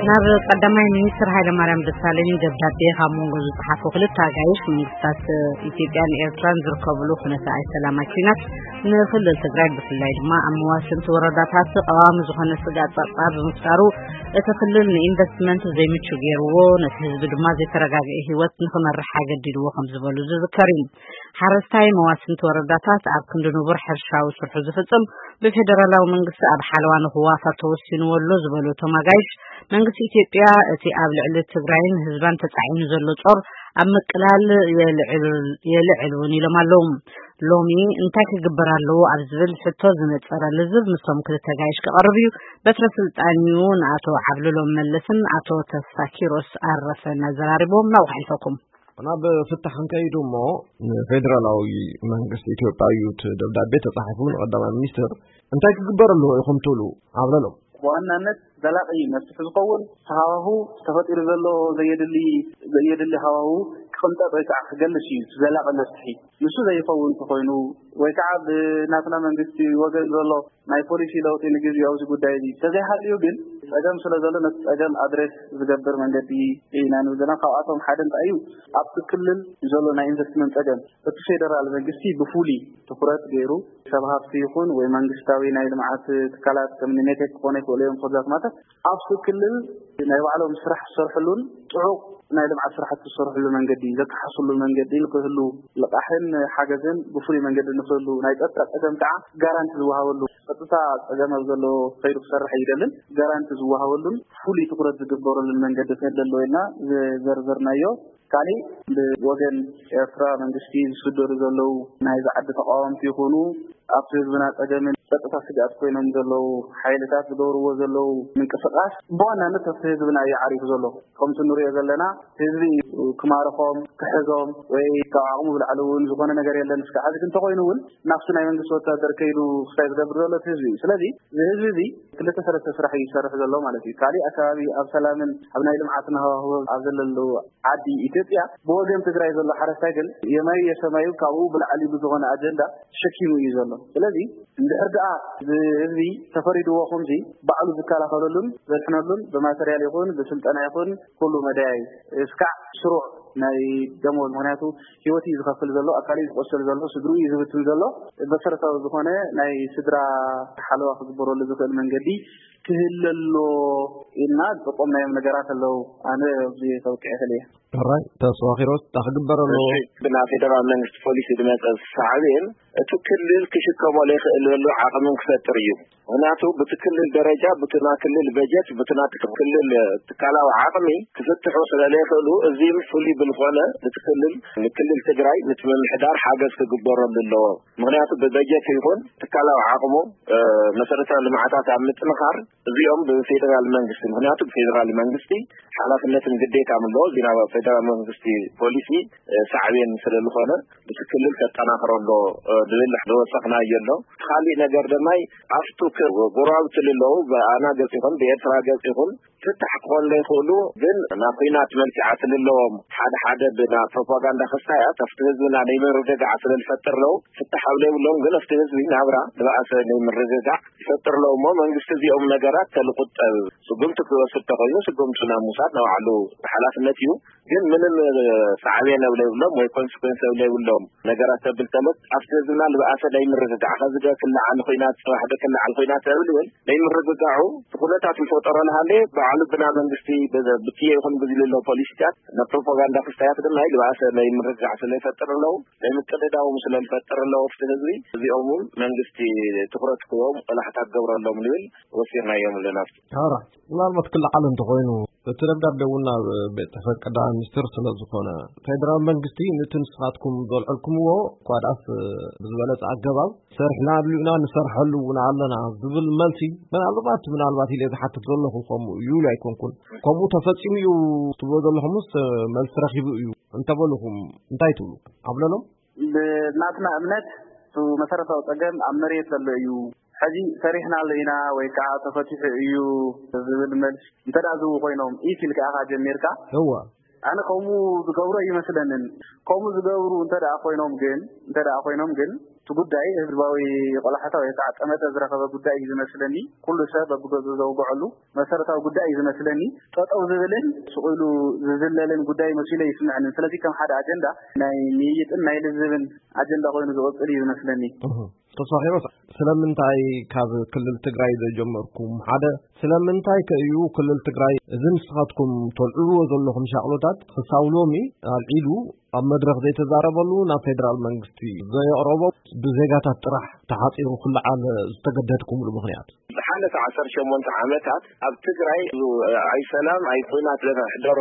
ናብ ቀዳማይ ሚኒስትር ሃይለማርያም ደሳለኝ ደብዳቤ ካብ መንጎ ዝጸሓፉ ክልተ ኣጋይሽ መንግስታት ኢትዮጵያን ኤርትራን ዝርከብሉ ኩነተ ኣይሰላማዊ ኩናት ንክልል ትግራይ ብፍላይ ድማ ኣብ መዋስንቲ ወረዳታት ቀዋሚ ዝኾነ ስጋት ጸጥታ ብምፍጣሩ እቲ ክልል ንኢንቨስትመንት ዘይምቹ ገይርዎ፣ ነቲ ህዝቢ ድማ ዘይተረጋግአ ህይወት ንክመርሕ ኣገዲድዎ ከም ዝበሉ ዝዝከር እዩ። ሓረስታይ መዋስንቲ ወረዳታት ኣብ ክንዲ ንቡር ሕርሻዊ ስርሑ ዝፍጽም ብፌደራላዊ መንግስቲ ኣብ ሓለዋ ንክዋፈር ተወሲንዎ ኣሎ ዝበሉ እቶም ኣጋይሽ፣ መንግስቲ ኢትዮጵያ እቲ ኣብ ልዕሊ ትግራይን ህዝባን ተጻዒኑ ዘሎ ጾር ኣብ ምቅላል የልዕል እውን ኢሎም ኣለዉ። ሎሚ እንታይ ክግበር ኣለዎ ኣብ ዝብል ሕቶ ዝነጸረ ልዝብ ምስቶም ክልተ ኣጋይሽ ክቐርብ እዩ። በትረ ስልጣን እዩ ንኣቶ ዓብልሎም መለስን ኣቶ ተስፋ ኪሮስ ኣረፈን ኣዘራሪቦም። ናብ ሓልፈኩም። ናብ ፍታሕ ክንከይዱ እሞ፣ ንፌደራላዊ መንግስቲ ኢትዮጵያ እዩ እቲ ደብዳቤ ተጻሒፉ ንቀዳማይ ሚኒስትር። እንታይ ክግበር ኣለዎ ኢኹም ትብሉ? ዓብለሎም። ብዋናነት ዘላቒ መፍትሒ ዝኸውን ሃዋሁ ተፈጢሩ ዘሎ ዘየድሊ፣ ዘየድሊ ሃዋሁ ክቕንጠጥ ወይ ከዓ ክገልስ እዩ። ዘላቒ መፍትሒ ንሱ ዘይኸውን እንተኾይኑ ወይ ከዓ ብናትና መንግስቲ ወገን ዘሎ ናይ ፖሊሲ ለውጢ ንግዜኡ ኣብዚ ጉዳይ እዚ ተዘይሃልዩ ግን ጸገም ስለ ዘሎ ነቲ ጸገም ኣድሬስ ዝገብር መንገዲ ኢና ንብል ዘለና። ካብኣቶም ሓደ እንታይ እዩ? ኣብቲ ክልል ዘሎ ናይ ኢንቨስትመንት ጸገም እቲ ፌደራል መንግስቲ ብፍሉይ ትኹረት ገይሩ ሰብ ሃፍቲ ይኹን ወይ መንግስታዊ ናይ ልምዓት ትካላት ከም ሜቴክ ክኾነ ይኽእሉ እዮም፣ ኮዛት ማለት ኣብቲ ክልል ናይ ባዕሎም ስራሕ ዝሰርሕሉን ጥዑቕ ናይ ልምዓት ስራሕቲ ዝሰርሕሉ መንገዲ፣ ዘተሓስሉ መንገዲ ንክህሉ ልቓሕን ሓገዝን ብፍሉይ መንገዲ ንክህሉ ናይ ጸጥታ ጸገም ከዓ ጋራንቲ ዝወሃበሉ፣ ጸጥታ ጸገም ኣብ ዘለዎ ከይዱ ክሰርሕ ይደልን ጋራንቲ ዝወሃበሉን ፍሉይ ትኹረት ዝግበረሉን መንገዲ ክህሉ ኣለዎ ኢልና ዝዘርዘርናዮ። ካሊእ ብወገን ኤርትራ መንግስቲ ዝስደዱ ዘለዉ ናይዚ ዓዲ ተቃወምቲ ይኹኑ ኣብቲ ህዝብና ጸገምን ጸጥታ ስግኣት ኮይኖም ዘለዉ ሓይልታት ዝገብርዎ ዘለዉ ምንቅስቃስ ብዋናነት ኣብቲ ህዝብና እዩ ዓሪፉ ዘሎ። ከምቲ ንሪኦ ዘለና ህዝቢ እዩ ክማርኾም፣ ክሕዞም ወይ ካብ ዓቕሙ ብላዕሊ እውን ዝኾነ ነገር የለን። እስከ ሕዚ ግን እንተኾይኑ እውን ናብቲ ናይ መንግስቲ ወታደር ከይዱ ክሳይ ዝገብር ዘሎ እቲ ህዝቢ እዩ። ስለዚ እዚ ህዝቢ እዚ ክልተ ሰለስተ ስራሕ እዩ ዝሰርሕ ዘሎ ማለት እዩ። ካሊእ ኣከባቢ ኣብ ሰላምን ኣብ ናይ ልምዓትን ሃዋህው ኣብ ዘለሉ ዓዲ ኢትዮጵያ ብወገን ትግራይ ዘሎ ሓረስታይ ግን የማዩ የሰማዩ ካብኡ ብላዕሊ ብዝኾነ ኣጀንዳ ተሸኪሙ እዩ ዘሎ። ስለዚ እንድሕር ደኣ እዚ ህዝቢ ተፈሪድዎ ከምዚ ባዕሉ ዝከላኸለሉን ዘድሕነሉን ብማተርያል ይኹን ብስልጠና ይኹን ኩሉ መዳያይ እስካዕ ስሩዕ ናይ ደሞዝ፣ ምኽንያቱ ህይወት እዩ ዝኸፍል ዘሎ፣ ኣካል እዩ ዝቆስል ዘሎ፣ ስድሩ እዩ ዝብትን ዘሎ። መሰረታዊ ዝኾነ ናይ ስድራ ሓለዋ ክግበረሉ ዝኽእል መንገዲ ክህለ ኣሎ ኢልና ዝጠቆምናዮም ነገራት ኣለዉ። ኣነ ኣብዚ ከብቅዕ ይኽእል እየ። ሕራይ ተስፋ ኪሮስ፣ እንታይ ክግበር ኣለዎ? እሺ፣ ብናይ ፌደራል መንግስቲ ፖሊሲ ዝመፀ ሳዕቤን እቲ ክልል ክሽከሞ ዘይክእለሉ ዓቕምን ክፈጥር እዩ። ምኽንያቱ ብቲ ክልል ደረጃ፣ ብቲ ናይ ክልል በጀት፣ ብቲ ናይ ክልል ትካላዊ ዓቕሚ ክፍትሑ ስለ ዘይኽእሉ፣ እዚ ፍሉይ ብዝኾነ እቲ ክልል፣ ንክልል ትግራይ፣ ነቲ ምምሕዳር ሓገዝ ክግበረሉ ኣለዎ። ምኽንያቱ ብበጀት ይኹን ትካላዊ ዓቕሙ፣ እ፣ መሰረታዊ ልምዓታት ኣብ ምጥንኻር እዚኦም ብፌደራል መንግስቲ፣ ምኽንያቱ ብፌደራል መንግስቲ ሓላፍነትን ግዴታን ኣለዎ። እዚ ናብ ፌደራል መንግስቲ ፖሊሲ፣ እ፣ ሳዕቤን ስለ ዝኾነ፣ እቲ ክልል ከጠናኽሮ ኣሎ፣ እ፣ ዝብል ዝወሰኽናዮ ኣሎ። እቲ ካሊእ ነገር ድማ ኣብቱ ክ-፣ ጎረባብቲ ዘለዉ ብኣና ገጽ ይኹን ብኤርትራ ገጽ ይኹን ፍታሕ ክኾኑ ዘይክእሉ፣ ግን ናብ ኲናት መልክዓ ስለ ኣለዎም፣ ሓደ ሓደ ብና ፕሮፓጋንዳ ክስታያት ኣብቲ ህዝብና ናይ ምርግጋዕ ስለ ዝፈጥር ኣለዉ። ፍታሕ ኣብ ዘይብሎም ግን ኣብቲ ህዝቢ ናብራ ዝበኣሰ ናይ ምርግጋዕ ይፈጥር ኣለዉ። እሞ መንግስቲ እዚኦም ነገራት ተልቁጠብ ስጉምቲ ክወስድ ተኾይኑ ስጉምቲ ናብ ምውሳድ ናይ ባዕሉ ሓላፍነት እዩ። ግን ምንም ሳዕቤን ኣብ ዘይብሎም ወይ ኮንስኮንስ ኣብ ዘይብሎም ነገራት ተብል ተሎት ኣብቲ ህዝብና ዝበኣሰ ናይ ምርግጋዕ፣ ከዚ ገ ክለዓል ኲናት፣ ጽባሕ ገ ክለዓል ኲናት ተብል እውን ናይ ምርግጋዑ ኩነታት ይፈጠሮ ንሃለ ባዕሉ ብና መንግስቲ በዘ-፣ ብትየ ይኹን ብዝልሎ ፖሊሲታት ናብ ፕሮፓጋንዳ ክስታያት ድማ ዝበኣሰ ናይ ምርግጋዕ ስለ ይፈጥር ኣለዉ፣ ናይ ምቅድዳዎም ስለ ዝፈጥር ኣለዉ ኣብቲ ህዝቢ። እዚኦም እውን መንግስቲ ትኹረት ክህቦም ቆላሕታ ክገብረሎም ንብል ወሲኽናዮም ኣለና። ሕራይ፣ ምናልባት ክለዓል እንተኾይኑ፣ እቲ ደብዳቤ እውን ናብ ቤት ጽሕፈት ቀዳማይ ሚኒስትር ስለ ዝኾነ፣ ፌደራል መንግስቲ ነቲ ንስኻትኩም ዘልዐልኩምዎ እኳ ደኣስ ብዝበለጸ ኣገባብ ሰሪሕና ኣድልዩና ንሰርሐሉ እውን ኣለና ዝብል መልሲ፣ ምናልባት፣ ምናልባት ኢለ ዝሓትት ዘለኹ ከምኡ እዩ ኢሉ ኣይኮንኩን። ከምኡ ተፈጺሙ እዩ ትብሎ ዘለኹምስ መልሲ ረኺቡ እዩ እንተበሉኹም እንታይ ትብሉ? ኣብለሎም? ብናትና እምነት፣ እቲ መሰረታዊ ጸገም ኣብ መሬት ዘሎ እዩ። ሕዚ ሰሪሕናሉ ኢና ወይ ከዓ ተፈቲሑ እዩ ዝብል መልሲ እንተ ደኣ ዝህቡ ኮይኖም፣ ኢት ኢልካ ኢኻ ጀሚርካ። እወ። ኣነ ከምኡ ዝገብሩ ኣይመስለንን። ከምኡ ዝገብሩ እንተ ደኣ ኮይኖም ግን እንተ ደኣ ኮይኖም ግን እቲ ጉዳይ ህዝባዊ ቆላሕታ ወይ ከዓ ጠመተ ዝረኸበ ጉዳይ እዩ ዝመስለኒ። ኩሉ ሰብ በብገዙ ዘውግዐሉ መሰረታዊ ጉዳይ እዩ ዝመስለኒ። ጠጠው ዝብልን ስቕ ኢሉ ዝዝለልን ጉዳይ መሲሉ ይስምዐንን። ስለዚ ከም ሓደ ኣጀንዳ ናይ ምይይጥን ናይ ልዝብን ኣጀንዳ ኮይኑ ዝቕጽል እዩ ዝመስለኒ። ተሳኺሮስ ስለምንታይ ካብ ክልል ትግራይ ዘይጀመርኩም? ሓደ ስለምንታይ ከእዩ ክልል ትግራይ እዚ ንስኻትኩም ተልዕልዎ ዘለኹም ሻቕሎታት ክሳብ ሎሚ ኣልዒሉ ኣብ መድረኽ ዘይተዛረበሉ ናብ ፌደራል መንግስቲ ዘየቕረቦ ብዜጋታት ጥራሕ ተሓፂሩ ክለዓል ዝተገደድኩምሉ ምኽንያት? ዝሓለፈ ዓሰርተ ሸሞንተ ዓመታት ኣብ ትግራይ ኣይሰላም ኣይኩናት ለተሕደሮ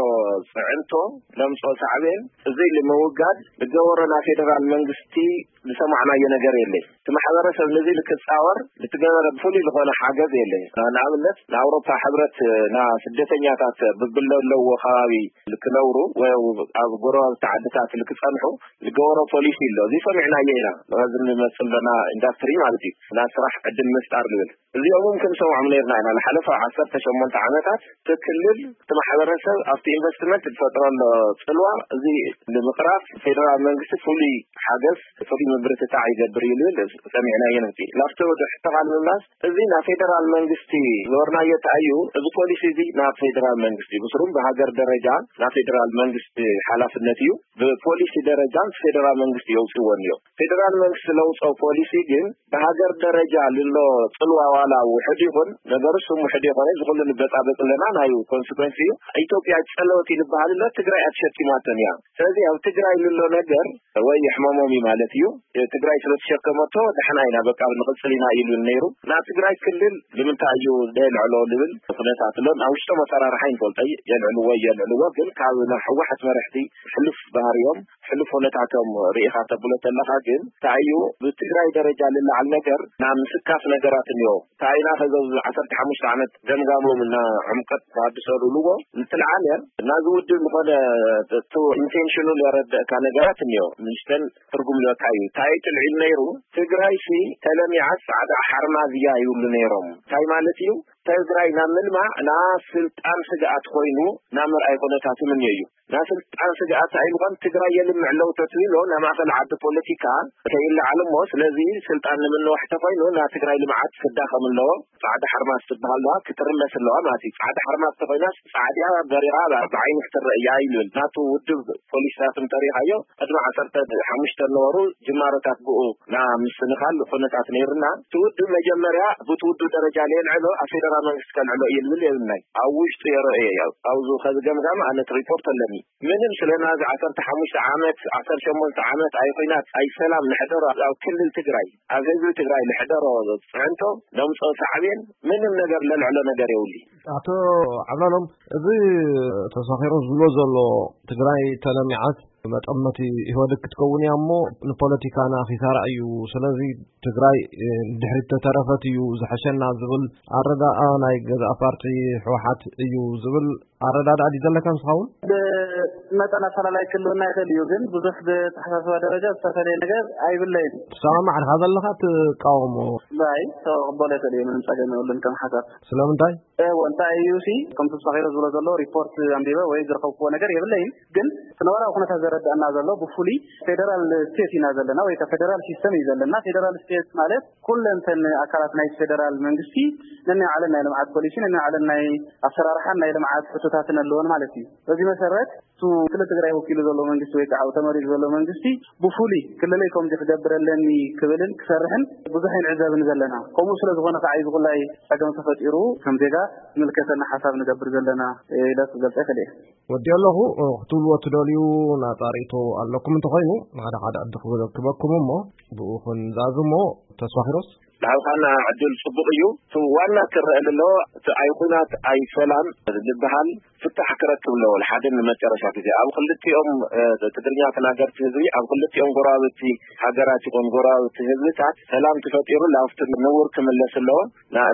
ፅዕንቶ ለምፅኦ ሳዕቤን እዚ ንምውጋድ ዝገበሮ ናይ ፌደራል መንግስቲ ዝሰማዕናዮ ነገር የለይ። እቲ ማሕበረሰብ ነዚ ልክፃወር ልትገበረ ፍሉይ ዝኾነ ሓገዝ የለይ። ንኣብነት ንኣውሮፓ ሕብረት ና ስደተኛታት ብብለለዎ ከባቢ ልክነብሩ ወይ ኣብ ጎረባብቲ ዓድታት ልክፀንሑ ዝገበሮ ፖሊሲ ኣሎ። እዚ ሰሚዕናዮ ኢና። ነዚ ንመፅእ ዘለና ኢንዳስትሪ ማለት እዩ። ናይ ስራሕ ዕድል ምፍጣር ዝብል እዚኦም እውን ክንሰምዖም ነርና ኢና። ንሓለፈ ዓሰርተ ሸሞንተ ዓመታት እቲ ክልል እቲ ማሕበረሰብ ኣብቲ ኢንቨስትመንት ዝፈጥረሎ ፅልዋ እዚ ንምቕራፍ ፌደራል መንግስቲ ፍሉይ ሓገዝ ፍሉይ ምብርትታዕ ይገብር እዩ ዝብል ሰሚዕናዮ ነቲ ናብቲ ወደ ሕተኻ ንምምላስ እዚ ናብ ፌደራል መንግስቲ ዝወርናዮ ተኣዩ እዚ ፖሊሲ እዚ ናብ ፌደራል መንግስቲ ብስሩም ብሃገር ደረጃ ናብ ፌደራል መንግስቲ ሓላፍነት እዩ። ብፖሊሲ ደረጃ ፌደራል መንግስቲ የውፅዎ እኒኦ። ፌደራል መንግስቲ ለውፀው ፖሊሲ ግን ብሃገር ደረጃ ልሎ ጽልዋ ዋላ ውሕድ ይኹን ነገሩ ስም ውሕድ ይኾነ ዝኹሉ ንበጻበጽ ኣለና ናይ ኮንስኮንስ እዩ። ኢትዮጵያ ጸለወት ይልበሃል ኣሎ ትግራይ ኣትሸኪማተን እያ። ስለዚ ኣብ ትግራይ ልሎ ነገር ወይ የሕመሞም እዩ ማለት እዩ። ትግራይ ስለ ተሸከመቶ ደሕና ኢና በቃ ንቕጽል ኢና ኢሉ ነይሩ። ናብ ትግራይ ክልል ንምንታይ እዩ ደልዕሎ ልብል ኩነታት ኣሎ። ናብ ውሽጦም ኣሰራርሓ ይንፈልጦ የልዕልዎ የልዕልዎ ግን ካብ ናይ ህወሓት መራሕቲ ሕሉፍ ባህሪዮም ሕሉፍ ኩነታቶም ርኢኻ ተብሎ ተለኻ ግን እንታይ እዩ ብትግራይ ደረጃ ልለዓል ነገር ናብ ምስካፍ ነገራት እኒኦ። እንታይ ኢና ከዚ ኣብዚ ዓሰርተ ሓሙሽተ ዓመት ገምጋሞም እና ዕምቀት ተሃድሶ ልብልዎ እንትልዓለ ናዚ ውድብ ዝኾነ ኢንቴንሽኑ ለረደእካ ነገራት እኒኦ ምንሽተን ትርጉም ለካ እዩ። እንታይ ትልዒል ነይሩ ትግራይ ሲ ተለሚዓት ፃዕዳ ሓርማዝ እያ ይብሉ ነይሮም። እንታይ ማለት እዩ ትግራይ ናብ ምልማዕ ናብ ስልጣን ስግኣት ኮይኑ ናብ መርኣይ ኩነታት ይምንዮ እዩ። ናብ ስልጣን ስግኣት ኣይምኳን ትግራይ የልምዕ ኣለዉ ተትብሎ ናብ ማእኸል ዓዲ ፖለቲካ ከይለዓል እሞ ስለዚ ስልጣን ንምንዋሕ ተኮይኑ ናብ ትግራይ ልምዓት ክዳኸም ኣለዎ። ፃዕዳ ሓርማዝ ትበሃል ኣለዋ ክትርመስ ኣለዋ ማለት እዩ። ፃዕዳ ሓርማዝ ተኮይናስ ፃዕዲያ በሪኻ ብዓይኒ ክትረእ እያ ይብል ናቱ ውድብ ፖሊሲታት እንተሪኻዮ ቅድሚ ዓሰርተ ሓሙሽተ ነበሩ ጅማሮታት ብኡ ና ምስንኻል ኩነታት ነይርና ትውድብ መጀመርያ ብትውድብ ደረጃ ለየልዕሎ ኣብ ፌደራል መንግስቲ ከልዕሎ እየ ልብል የብልናይ ኣብ ውሽጡ የረእየ እያ። ኣብዚ ከዚ ገምጋም ኣነት ሪፖርት ኣለኒ ምንም ስለ ናዚ ዓሰርተ ሓሙሽተ ዓመት ዓሰርተ ሸሞንተ ዓመት ኣይኩናት ኣይሰላም ንሕደሮ ኣብ ክልል ትግራይ ኣብ ህዝቢ ትግራይ ንሕደሮ ፅዕንቶ ነምፅኦ ሳዕቤን ምንም ነገር ለልዕሎ ነገር የብሉ። ኣቶ ዓብላሎም እዚ ተሳኺሩ ዝብሎ ዘሎ ትግራይ ተለሚዓት መጠመቲ ኢህወደግ ክትከውን እያ እሞ ንፖለቲካና ኪሳራ እዩ። ስለዚ ትግራይ ድሕሪት ተተረፈት እዩ ዝሐሸና ዝብል ኣረዳኣ ናይ ገዛእ ፓርቲ ህወሓት እዩ ዝብል ኣረዳድኣ ድዩ ዘለካ ንስኻ እውን? ብመጠን ኣፈላላይ ክልውና ይኽእል እዩ፣ ግን ብዙሕ ብተሓሳስባ ደረጃ ዝተፈለየ ነገር ኣይብለይን። ትሰማማዕ ድኻ ዘለኻ ትቃወሞ? ባይ ተቕበሎ ይኽእል እዩ፣ ምንም ጸገም የብሉን ከም ሓሳብ። ስለምንታይ? እወ እንታይ እዩ ሲ ከምቲ ተሳኺሮ ዝብሎ ዘሎ ሪፖርት ኣንቢበ ወይ ዝረኸብክዎ ነገር የብለይን። ግን እቲ ነባራዊ ኩነታት ዘረዳእና ዘሎ ብፍሉይ ፌደራል ስቴት ኢና ዘለና ወይ ፌደራል ሲስተም እዩ ዘለና። ፌደራል ስቴት ማለት ኩለንተን ኣካላት ናይ ፌደራል መንግስቲ ነናይ ዓለን ናይ ልምዓት ፖሊሲ ነናይ ዓለን ናይ ኣሰራርሓን ናይ ልምዓት ሕቶታትን ኣለዎን ማለት እዩ። በዚ መሰረት እቲ ክልል ትግራይ ወኪሉ ዘሎ መንግስቲ ወይ ከዓ ተመሪፁ ዘሎ መንግስቲ ብፍሉይ ክልለይ ከምዚ ክገብር ኣለኒ ክብልን ክሰርሕን ብዙሕ ኣይንዕዘብን ዘለና። ከምኡ ስለ ዝኾነ ከዓ እዚ ኩላይ ፀገም ተፈጢሩ ከም ዜጋ ዝምልከተና ሓሳብ ንገብር ዘለና ኢለ ክገልፀ ይኽእል እየ። ወዲ ኣለኹ ክትብልዎ ትደልዩ ናፃ ርእቶ ኣለኩም እንተኾይኑ ንሓደ ሓደ ዕዲ ክበኩም እሞ ብኡ ክንዛዝሞ ተስፋ ኪሮስ። ንዓውካና ዕድል ፅቡቅ እዩ። እቲ ዋና ክረአ ዘለዎ እቲ ኣይኩናት ኣይሰላም ዝበሃል ፍታሕ ክረክብ ኣለዎ። ሓደ ንመጨረሻ ግዜ ኣብ ክልቲኦም ትግርኛ ተናገርቲ ህዝቢ ኣብ ክልቲኦም ጎረባብቲ ሃገራት ይኹን ጎረባብቲ ህዝብታት ሰላም ተፈጢሩ ላፍቲ ንውር ክምለስ ኣለዎ።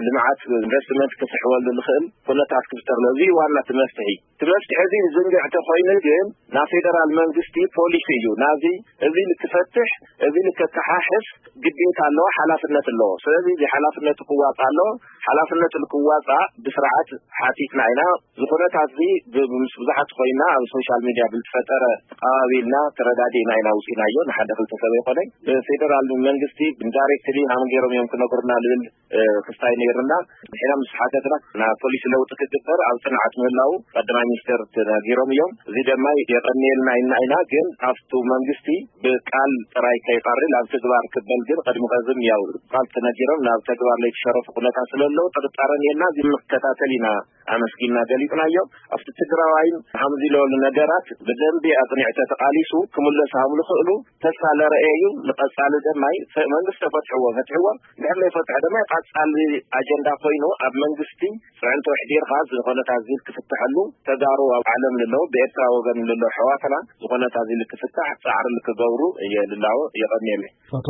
ልምዓት ኢንቨስትመንት ክስሕበሉ ዝኽእል ኩነታት ክፍጠር ኣለዎ። እዚ ዋና እቲ መፍትሒ። እቲ መፍትሒ እዚ ዝንግዕ ተኮይኑ ግን ናብ ፌደራል መንግስቲ ፖሊሲ እዩ ናዚ እዚ ንክፈትሕ እዚ ንከተሓሕስ ግዴታ ኣለዎ፣ ሓላፍነት ኣለዎ። ስለዚ እዚ ሓላፍነቱ ክዋፃእ ኣሎ። ሓላፍነቱ ንክዋፃእ ብስርዓት ሓቲትና ኢና። እዚ ኩነታት እዚ ብ-፣ ምስ ብዙሓት ኮይና ኣብ ሶሻል ሚድያ ብዝተፈጠረ ተቐባቢልና ተረዳዲእና ኢና ውፂናዮ። ንሓደ ክልተ ሰብ ኣይኮነን። ብፌደራል መንግስቲ ዳይሬክትሊ ሃም ገይሮም እዮም ክነግሩና ልብል እ፣ ክስታይ ነይርና። ንሕና ምስ ሓተትና ናብ ፖሊሲ ለውጢ ክግበር ኣብ ጽንዓት ምህላው ቀዳማይ ሚኒስትር ተነጊሮም እዮም። እዚ ድማ የቐንየልና ኢልና ኢና፣ ግን ኣብቱ መንግስቲ ብቃል ጥራይ ከይቐርል ኣብ ተግባር ክበል ግን ቅድሚ ቀዝም ያው ቃል ተነጊሮም ናብ ተግባር ለይተሸረፉ ኩነታት ስለለዉ ጥርጣረ ነርና። እዚ ንከታተል ኢና ኣመስጊና ገሊጽናዮ። ኣብቲ ትግራዋይን ሃምዚ ለበሉ ነገራት ብደንቢ ኣጽኒዕ ተተቓሊሱ ክምለስ ሃምሉ ክእሉ ተስፋ ለረኤ እዩ። ንቐጻሊ ደማይ ፈ-፣ መንግስቲ ተፈትሕዎ፣ ፈትሕዎ። እንድሕር ዘይፈትሐ ድማ ቀጻሊ ኣጀንዳ ኮይኑ ኣብ መንግስቲ ጽዕንቶ ኣሕዲርካ ዝኾነታት ዚል ክፍትሐሉ ተጋሩ ኣብ ዓለም ልለው ብኤርትራ ወገን ልለው ኣሕዋትና ዝኾነታት ዚል ክፍታሕ ጻዕሪ ልክገብሩ እየ ልላዎ። የቐንየለይ። ኣቶ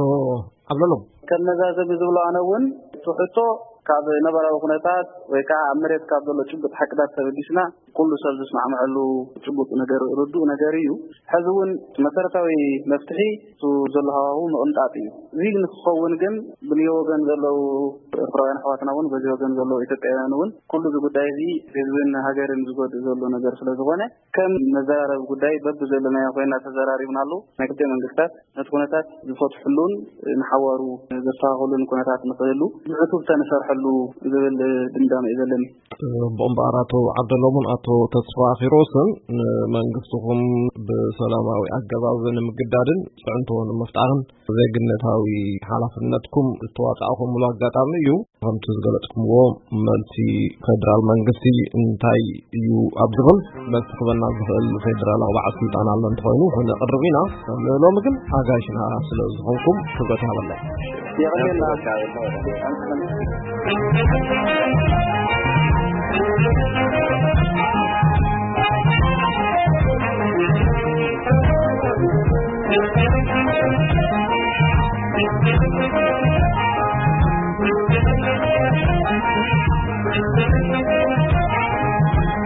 ዓብደሎም። ከም መዛዘሚ ዝብሎ ኣነ እውን እቲ ሕቶ ካብ ነባራዊ ኩነታት ወይ ከዓ ኣብ መሬት ካብ ዘሎ ጭቡጥ ሓቅታት ተበጊስና ኩሉ ሰብ ዝስማዕምዐሉ ጭቡጥ ነገር ርዱእ ነገር እዩ። ሕዚ እውን መሰረታዊ መፍትሒ እሱ ዘሎ ሃዋሁ ምቕንጣጥ እዩ። እዚ ንክኸውን ግን ብልዮ ወገን ዘለዉ ኤርትራውያን ኣሕዋትና እውን በዚ ወገን ዘለዉ ኢትዮጵያውያን እውን ኩሉ እዚ ጉዳይ እዚ ህዝብን ሃገርን ዝጎድእ ዘሎ ነገር ስለ ዝኾነ ከም መዘራረቢ ጉዳይ በብዘለናዮ ኮይና ተዘራሪብናሉ። ናይ ክልተ መንግስታት ነቲ ኩነታት ዝፈትሕሉን ንሓዋሩ ዘስተኻኽሉን ኩነታት ንኽህሉ ብዕቱብ ተንሰርሐሉ ዝብል ድምዳመ እዩ ዘለኒ። ጽቡቕ እምበኣር ኣቶ ዓብደሎምን ኣቶ ተስፋ ኪሮስን ንመንግስትኹም ብሰላማዊ ኣገባብ ንምግዳድን ጽዕንቶ ንምፍጣርን ዜግነታዊ ሓላፍነትኩም ዝተዋጻእኹምሉ ኣጋጣሚ እዩ። ከምቲ ዝገለጽኩምዎ መልሲ ፌደራል መንግስቲ እንታይ እዩ ኣብ ዝብል መልሲ ክበና ዝኽእል ፌደራላዊ በዓል ስልጣን ኣሎ እንተኾይኑ ክነቕርብ ኢና። ሎሚ ግን ኣጋይሽና ስለ ዝኾንኩም ክብረት ይሃበለይ። የቐንየልና።